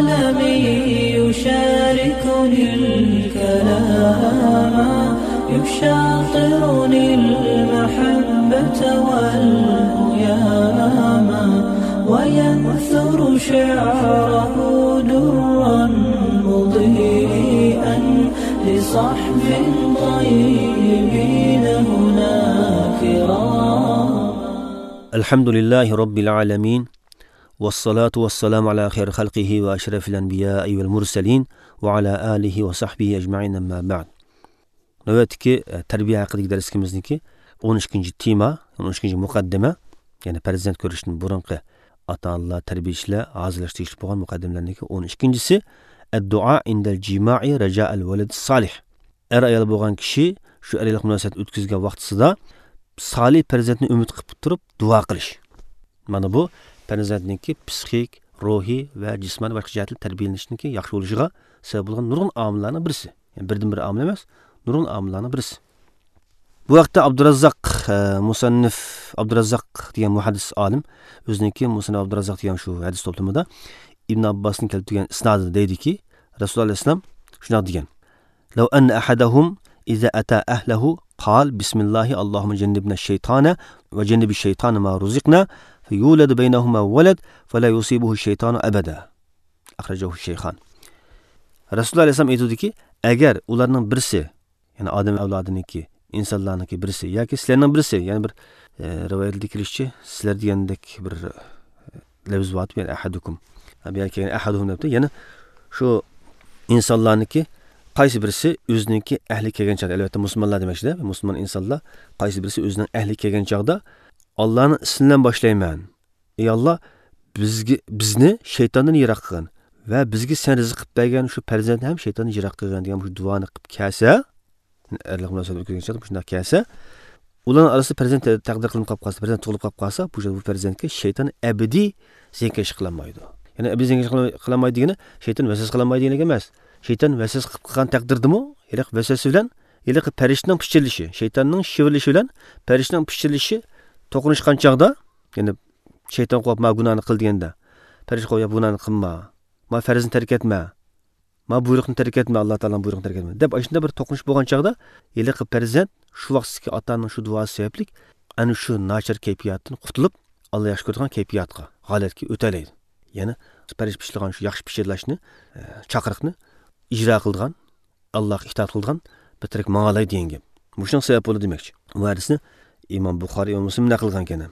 قلمي يشاركني الكلام يشاطرني المحبة والهيام وينثر شعره درا مضيئا لصحب طيبين هنا كرام. الحمد لله رب العالمين والصلاة والسلام على خير خلقه وأشرف الأنبياء والمرسلين وعلى آله وصحبه أجمعين أما بعد. Navbatdagi tarbiya haqidagi darsimizniki 12 tema, 12 muqaddima, ya'ni farzand ko'rishdan burunqi ota-onalar, tarbiyachilar hozirlash tegishli bo'lgan muqaddimalarniki 12-si ad-duo indal jima'i raja'al walad solih. Er ayol bo'lgan kishi shu erlik munosabat o'tkazgan vaqtida solih farzandni umid qilib turib duo qilish. Mana bu farzandniki psixik, ruhiy va jismoniy boshqa jihatdan tarbiyalanishniki yaxshi bo'lishiga sabab bo'lgan nurg'un omillarning birisi. Ya'ni birdan bir omil emas, nurg'un omillarning birisi. Bu vaqtda Abdurazzaq musannif Abdurazzaq degan muhaddis olim o'ziniki Musannif Abdurazzaq degan shu hadis to'plamida Ibn Abbosning keltirgan isnodida deydiki, Rasululloh alayhissalom shunday degan: "Law anna ahadahum iza ata ahlahu qal bismillahi Allahumma jannibna ash-shaytana va jannibi ash-shaytana ma ruziqna fayulad baynahuma walad fala yusibuhu ash-shaytanu abada." Akhrajahu ash-shaykhan. Rasululloh alayhissalom aytdiki, agar ularning birisi, ya'ni odam avlodiniki, insonlarniki birisi yoki sizlarning birisi, ya'ni bir rivoyatda kelishicha sizlar degandek bir lafz bor, ya'ni ahadukum. Bu yerga kelgan ahaduhum debdi, ya'ni shu insonlarniki qaysi birisi o'ziniki ahli kelgan chog'da, albatta musulmonlar demakchida, musulmon insonlar qaysi birisi o'zining ahli kelgan chog'da Allohning ismidan boshlayman. Ey Alloh, bizga bizni shaytondan yiroq qilgin va bizga sen rizq qilib bergan shu farzandni ham shaytondan yiroq qilgin degan shu duoni qilib kelsa, erlik munosabat o'tkazgan chog'da shunday kelsa, ularning orasida farzand taqdir qilinib qolib qolsa, farzand tug'ilib qolib qolsa, bu farzandga shayton abadiy ziyankash qilolmaydi. Ya'ni abadiy ziyankash qilolmaydi degani shayton vasvasa qilolmaydi degani emas. Shayton vasvasa qilib qilgan taqdirdimi, iliq vasvasa bilan iliq farishtaning pichirlishi, shaytonning shivirlishi bilan farishtaning pichirlishi to'qinishgan chog'da, ya'ni shayton qo'yib ma gunohni qil deganda, farishta qo'yib gunohni qilma, ma farzni tark etma, ma buyruqni tark etma, Alloh taoloning buyrug'ini tark etma deb shunda bir to'qinish bo'lgan chog'da iliq farzand shu vaqtdagi otaning shu duosi sababli ana shu nachar kayfiyatdan qutulib, Alloh yaxshi ko'radigan kayfiyatga, holatga o'talaydi. Ya'ni farish pishirgan shu yaxshi pishirlashni, chaqiriqni ijro qilgan, Allohga itoat qilgan bir tirik ma'lay degan gap. Shunga sabab bo'ldi demakchi. Bu hadisni Imom Buxoriy va Muslim naql qilgan ekan.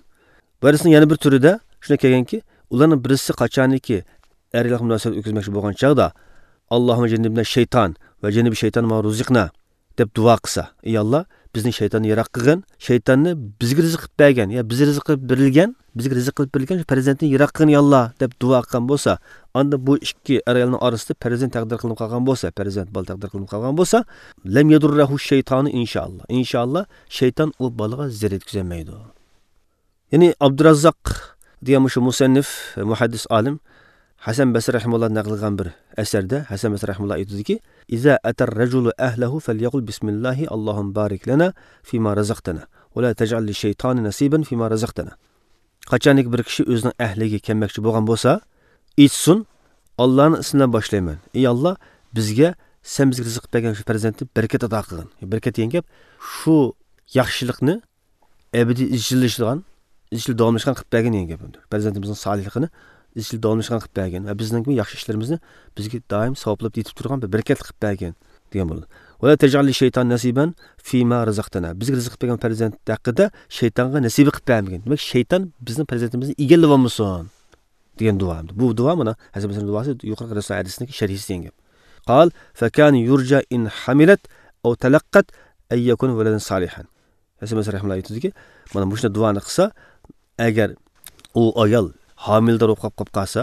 Bu hadisning yana bir turida shunday kelganki, ularning birisi qachoniki erlik munosabat o'tkazmoqchi bo'lgan chog'da Allohumma jannibna shayton va jannibi shayton ma ruziqna deb duo qilsa, ey Alloh, bizni shaytonni yiroq qilgin, shaytonni bizga rizq qilib bergan, ya bizga rizq qilib berilgan, bizga rizq qilib berilgan shu farzandni yiroq qilgin ey Alloh deb duo qilgan bo'lsa, unda bu ikki ayolning orasida farzand taqdir qilinib qolgan bo'lsa, farzand bola taqdir qilinib qolgan bo'lsa, lam yadurruhu shaytonu inshaalloh. Inshaalloh shayton u bolaga zarar yetkazmaydi. Ya'ni Abdurazzaq degan shu musannif, muhaddis olim Hasan Basri rahimahulloh naql qilgan bir asarda Hasan Basri rahimahulloh aytadiki: "Iza atar rajulu ahlahu falyaqul bismillahi Allohumma barik lana fima razaqtana va la taj'al lish-shaytoni nasiban fima razaqtana." Qachoniki bir kishi o'zining ahliga kelmoqchi bo'lgan bo'lsa, aytsin, Allohning ismidan boshlayman. Ey Alloh, bizga sen bizga rizq bergan shu farzandni barakat ato qilgin. Barakat degan gap shu yaxshilikni abadiy izchillashadigan, izchil davomlashgan qilib bergin degan gap. Farzandimizning solihligini izchil davomlashgan qilib bergin va bizning yaxshi ishlarimizni bizga doim savoblab yetib turgan bir barakatli qilib bergin degan bo'ladi. Va la taj'al lish-shayton nasiban fima razaqtana. Bizga rizq qilib bergan farzand haqida shaytonga nasiba qilib bermagin. Demak, shayton bizning farzandimizni egallab olmasin degan duo. Bu duo mana Hasan Basrining duosi, yuqorqi Rasul hadisining sharhisi degan gap. Qal fa kan yurja in hamilat aw talaqqat ay yakun waladan salihan. Hasan Basri rahimahulloh aytadiki, mana bu shunday duoni qilsa, agar u ayol homildor bo'lib qolib qolsa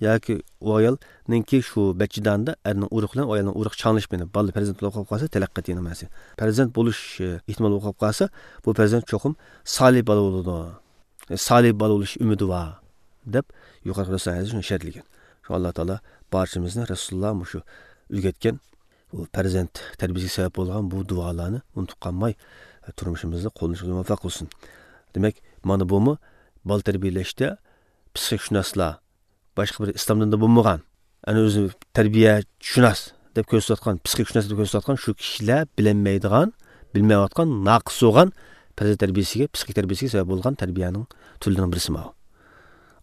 yoki u ayolninki shu bachidanda erning urug' bilan ayolning urug' changlish bilan bola farzand bo'lib qolib qolsa, talaqqat degan narsa. Farzand bo'lish ehtimoli bo'lib qolib qolsa, bu farzand cho'qim solih bola bo'ladi. Solih bola bo'lish umidi bor deb yuqorqi Rasul hadisi shuni shartlagan. Shu Alloh taolo barchamizni Rasululloh shu o'rgatgan bu farzand tarbiyasiga sabab bo'lgan bu duolarni unutib qolmay turmushimizda qo'llanishga muvaffaq qilsin. Demak, mana bumi bola tarbiyalashda psixik shunaslar boshqa bir islomdan da bo'lmagan ana o'zi tarbiyashunos deb ko'rsatgan, psixikashunos deb ko'rsatgan shu kishilar bilinmaydigan, bilmayotgan, noqis bo'lgan farzand tarbiyasiga, psixik tarbiyasiga sabab bo'lgan tarbiyaning turlarining birisi bu.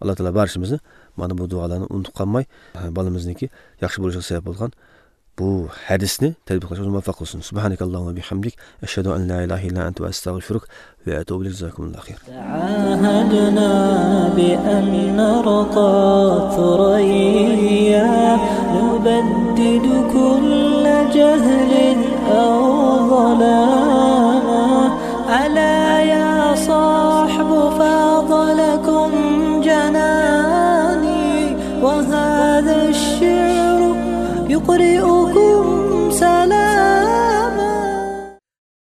Alloh taolo barchamizni mana bu duolarni unutib qolmay, bolamizniki yaxshi bo'lishiga sabab bo'lgan bu hadisni tatbiq qilishga muvaffaq qilsin. Subhanakallohumma bihamdik, ashhadu an la ilaha illa anta va astag'firuк va atubu ilayk. Jazakumullohu khayr. Ta'ahadna bi an narqa thurayya nubaddidu kulla jahlin aw dhalama ala ya